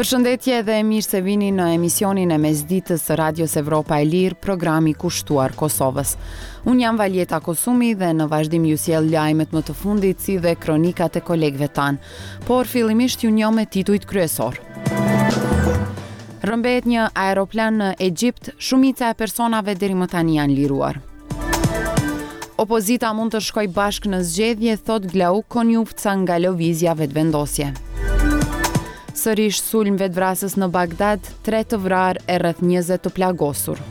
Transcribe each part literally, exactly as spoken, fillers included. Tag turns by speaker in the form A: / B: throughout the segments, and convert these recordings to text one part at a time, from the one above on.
A: Përshëndetje dhe mirë se vini në emisionin e mesditës së Radios Evropa e Lirë, programi kushtuar Kosovës. Unë jam Valjeta Kosumi dhe në vazhdim ju sjell lajmet më të fundit si dhe kronikat e kolegëve tanë. Por fillimisht ju njoh me titujt kryesor. Rrëmbehet një aeroplan në Egjipt, shumica e personave deri më tani janë liruar. Opozita mund të shkojë bashkë në zgjedhje, thotë Glauk Konjufca nga Lëvizja Vetëvendosje. Sërish sulm vetvrasës në Bagdad, tre të vrarë e rreth njëzet të plagosur.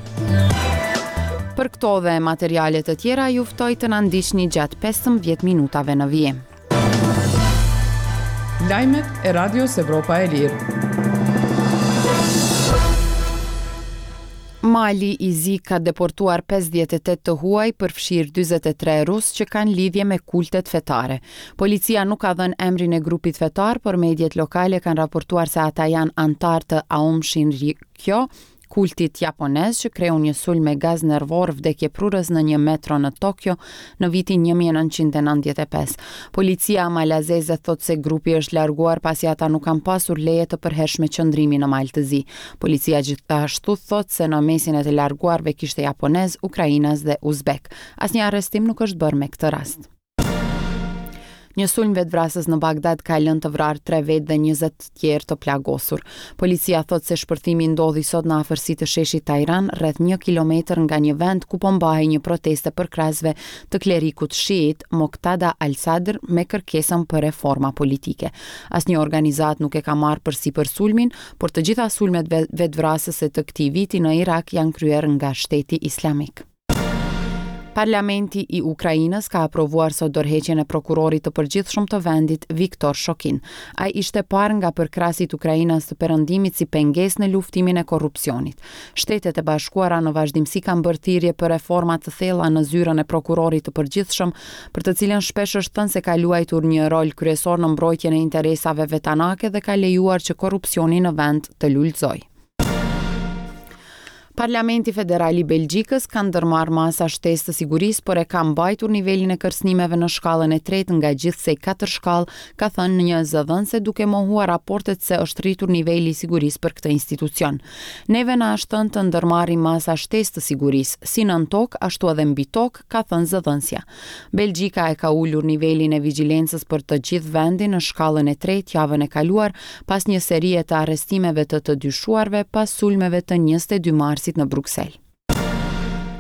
A: Për këto dhe materiale të tjera ju ftoj të na ndiqni gjatë pesëmbëdhjetë minutave në vijim.
B: Lajmet e Radios Evropa e Lirë.
A: Mali i Zi ka deportuar pesëdhjetë e tetë të huaj, përfshirë dyzet e tre rus që kanë lidhje me kultet fetare. Policia nuk ka dhënë emrin e grupit fetar, por mediet lokale kanë raportuar se ata janë anëtar të Aum Shinrikyo, kultit japonez që kreu një sulm me gaz nervor vdekjeprurës në një metro në Tokyo në vitin një mijë e nëntëqind e nëntëdhjetë e pesë. Policia malazeze thotë se grupi është larguar pasi ata nuk kanë pasur leje të përhershme qëndrimi në Mal të Zi. Policia gjithashtu thotë se në mesin e të larguarve kishte japonez, ukrainas dhe uzbek. Asnjë arrestim nuk është bërë me këtë rast. Një sulm vetvrasës në Bagdad ka lënë të vrarë tre vetë dhe njëzet të tjerë të plagosur. Policia thotë se shpërthimi ndodhi sot në afërsi të sheshit Tajran, rreth një kilometër nga një vend ku po mbahej një protestë e përkrahësve të klerikut shiit Moqtada al-Sadr me kërkesën për reforma politike. Asnjë organizatë nuk e ka marrë përsipër sulmin, por të gjitha sulmet ve-, vetvrasëse të këtij viti në Irak janë kryer nga Shteti Islamik. Parlamenti i Ukrainës ka aprovuar sot dorëheqjen e prokurorit të përgjithshëm të vendit, Viktor Shokin. Ai ishte parë nga përkrasit ukrainas të perëndimit si pengesë në luftimin e korrupsionit. Shtetet e Bashkuara në vazhdimsi kanë bërë thirrje për reforma të thella në zyrën e prokurorit të përgjithshëm, për të cilën shpesh është thënë se ka luajtur një rol kryesor në mbrojtjen e interesave vetanake dhe ka lejuar që korrupsioni në vend të lulëzojë. Parlamenti Federal i Belgjikës ka ndërmarrë masa shtesë të sigurisë, por e ka mbajtur nivelin e kërcënimeve në shkallën e tretë nga gjithsej katër shkallë, ka thënë një zëdhënëse duke mohuar raportet se është rritur niveli i sigurisë për këtë institucion. Neve na është thënë të ndërmarrim masa shtesë të sigurisë, si nën tokë ashtu edhe mbi tokë, ka thënë zëdhënësja. Belgjika e ka ulur nivelin e vigjilencës për të gjithë vendin në shkallën e tretë javën e kaluar, pas një serie të arrestimeve të të dyshuarve pas sulmeve të njëzet e dy marsit në Bruksel.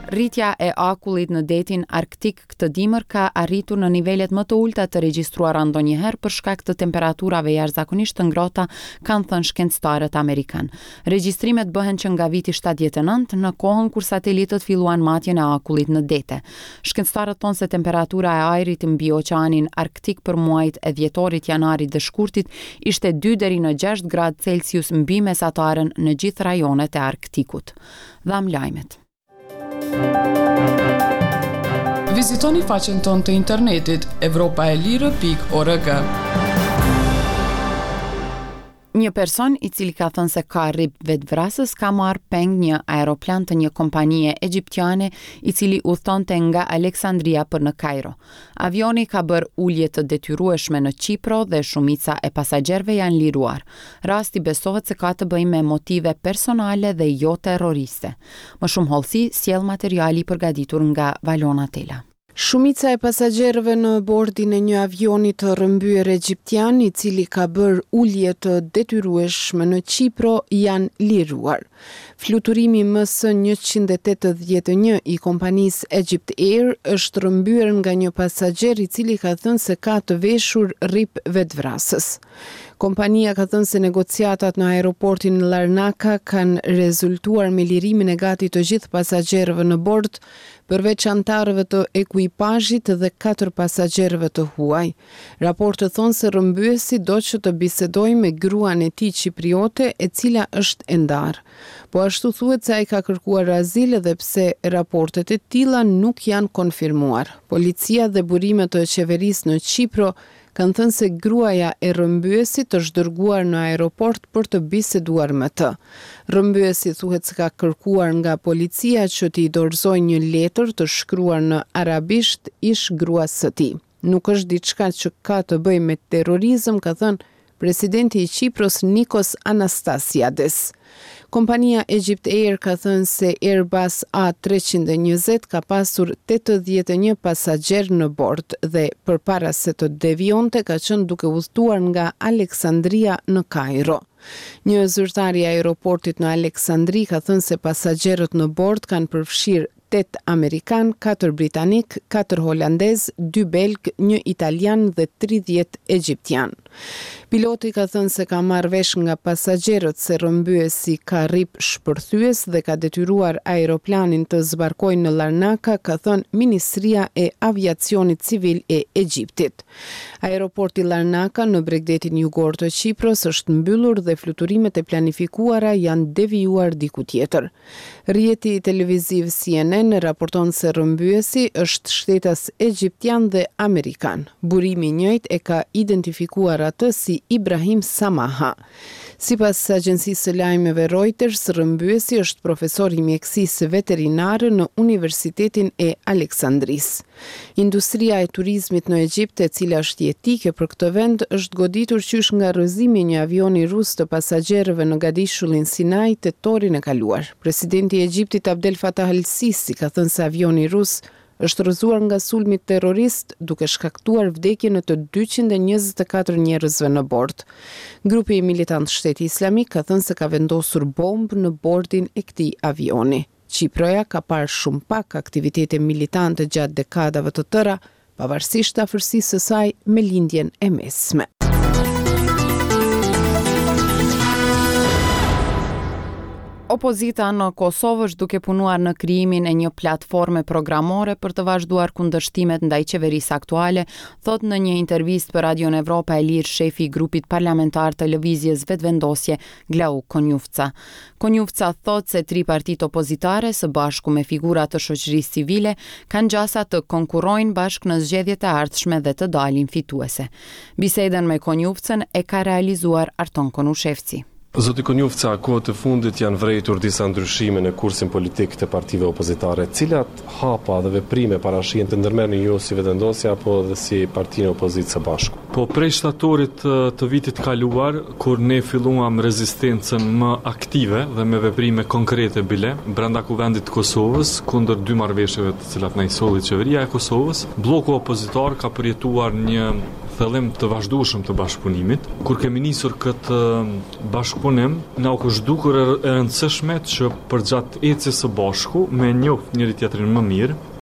A: Rritja e akullit në detin Arktik këtë dimër ka arritur në nivelet më të ulta të regjistruara ndonjëherë për shkak të temperaturave jashtëzakonisht të ngrohta, kanë thënë shkencëtarët amerikan. Regjistrimet bëhen që nga viti shtatëdhjetë e nëntë, në kohën kur satelitët filluan matjen e akullit në dete. Shkencëtarët thonë se temperatura e ajrit mbi oqeanin Arktik për muajt e dhjetorit, janarit dhe shkurtit ishte dy deri në gjashtë gradë Celsius mbi mesataren në gjithë rajonet e Arktikut. Dham lajmet.
B: Vizitoni faqen tonë të internetit evropa e lirë pikë org.
A: Një person i cili ka thënë se ka rrip vetvrasës ka marrë peng një aeroplan të një kompanie egjiptiane i cili udhtonte nga Aleksandria për në Kairo. Avioni ka bërë ulje të detyrueshme në Qipro dhe shumica e pasagjerëve janë liruar. Rasti besohet se ka të bëjë me motive personale dhe jo terroriste. Më shumë hollësi sjell materiali i përgatitur nga Valona Tela.
C: Shumica e pasagjerëve në bordin e një avioni të rrëmbyer egjiptian, i cili ka bërë ulje të detyrueshme në Qipro, janë liruar. Fluturimi M S njëqind e tetëdhjetë e një i kompanisë Egypt Air është rrëmbyer nga një pasagjer i cili ka thënë se ka të veshur rrip vetvrasës. Kompania ka thënë se negociatat në aeroportin Larnaca kanë rezultuar me lirimin e gati të gjithë pasagjerëve në bord, përveç anëtarëve të ekuipazhit dhe katër pasagjerëve të huaj. Raportet thonë se rrëmbyesi do që të bisedojë me gruan e tij qipriote, e cila është e ndarë. Po ashtu thuhet se ai ka kërkuar azil edhe pse raportet e tilla nuk janë konfirmuar. Policia dhe burimet e qeverisë në Qipro kanë thënë se gruaja e rrëmbyesit është dërguar në aeroport për të biseduar me të. Rrëmbyesi thuhet se ka kërkuar nga policia që t'i dorëzojë një letër të shkruar në arabisht ish gruas së tij. Nuk është diçka që ka të bëjë me terrorizëm, ka thënë presidenti i Qipros Nikos Anastasiades. Kompania Egypt Air ka thënë se Airbus A treqind e njëzet ka pasur tetëdhjetë e një pasagjerë në bord dhe përpara se të devijonte ka qenë duke udhëtuar nga Aleksandria në Kajro. Një zyrtar i aeroportit në Aleksandri ka thënë se pasagjerët në bord kanë përfshirë tetë amerikanë, katër britanikë, katër holandezë, dy belgë, një italian dhe tridhjetë egjiptianë. Piloti ka thënë se ka marrë vesh nga pasagjerët se rrëmbyesi ka rrip shpërthyes dhe ka detyruar aeroplanin të zbarkojë në Larnaka, ka thënë Ministria e Aviacionit Civil e Egjiptit. Aeroporti Larnaka në bregdetin jugor të Qipros është mbyllur dhe fluturimet e planifikuara janë devijuar diku tjetër. Rrjeti televiziv C N N raporton se rrëmbyesi është shtetas egjiptian dhe amerikan. Burimi i njëjtë e ka identifikuar atë si Ibrahim Samaha. Sipas agjencisë së lajmeve Reuters, rrëmbyesi është profesor i mjekësisë veterinare në Universitetin e Aleksandrisë. Industria e turizmit në Egjipt, e cila është jetike për këtë vend, është goditur qysh nga rrëzimi i një avioni rus të pasagjerëve në gadishullin Sinai tetorin e kaluar. Presidenti i Egjiptit Abdel Fattah al-Sisi ka thënë se avioni rus është rrëzuar nga sulmi terrorist, duke shkaktuar vdekjen e të dyqind e njëzet e katër njerëzve në bord. Grupi militant Shteti Islamik ka thënë se ka vendosur bombë në bordin e këtij avioni. Qiproja ka parë shumë pak aktivitete militante gjatë dekadave të tëra, pavarësisht afërsisë së saj me lindjen e mesme.
A: Opozita në Kosovë është duke punuar në krijimin e një platforme programore për të vazhduar kundërshtimet ndaj qeverisë aktuale, thotë në një intervistë për Radion Evropa e Lirë shefi i grupit parlamentar të Lëvizjes Vetëvendosje, Glauk Konjufca. Konjufca thotë se tri partitë opozitare së bashku me figura të shoqërisë civile kanë gjasa të konkurrojnë bashkë në zgjedhjet e ardhshme dhe të dalin fituese. Bisedën me Konjufcën e ka realizuar Arton Konushevci.
D: Zoti Konjufca, kohët e fundit janë vrejtur disa ndryshime në kursin politik të partive opozitare. Cilat hapa dhe veprime parashihen të ndërmerrni ju si Vetëvendosje apo edhe si partinë e opozitës së bashku?
E: Po prej shtatorit të vitit kaluar, kur ne filluam rezistencën më aktive dhe me veprime konkrete bile brenda Kuvendit të Kosovës kundër dy marrëveshjeve të cilat na i solli qeveria e Kosovës, blloku opozitar ka përjetuar një thellim të vazhdueshëm të bashkëpunimit. Kur kemi nisur këtë bashkëpunim, na u është dukur e rëndësishme që përgjatë ecjes së bashku me njoh njëri tjetrin më mirë,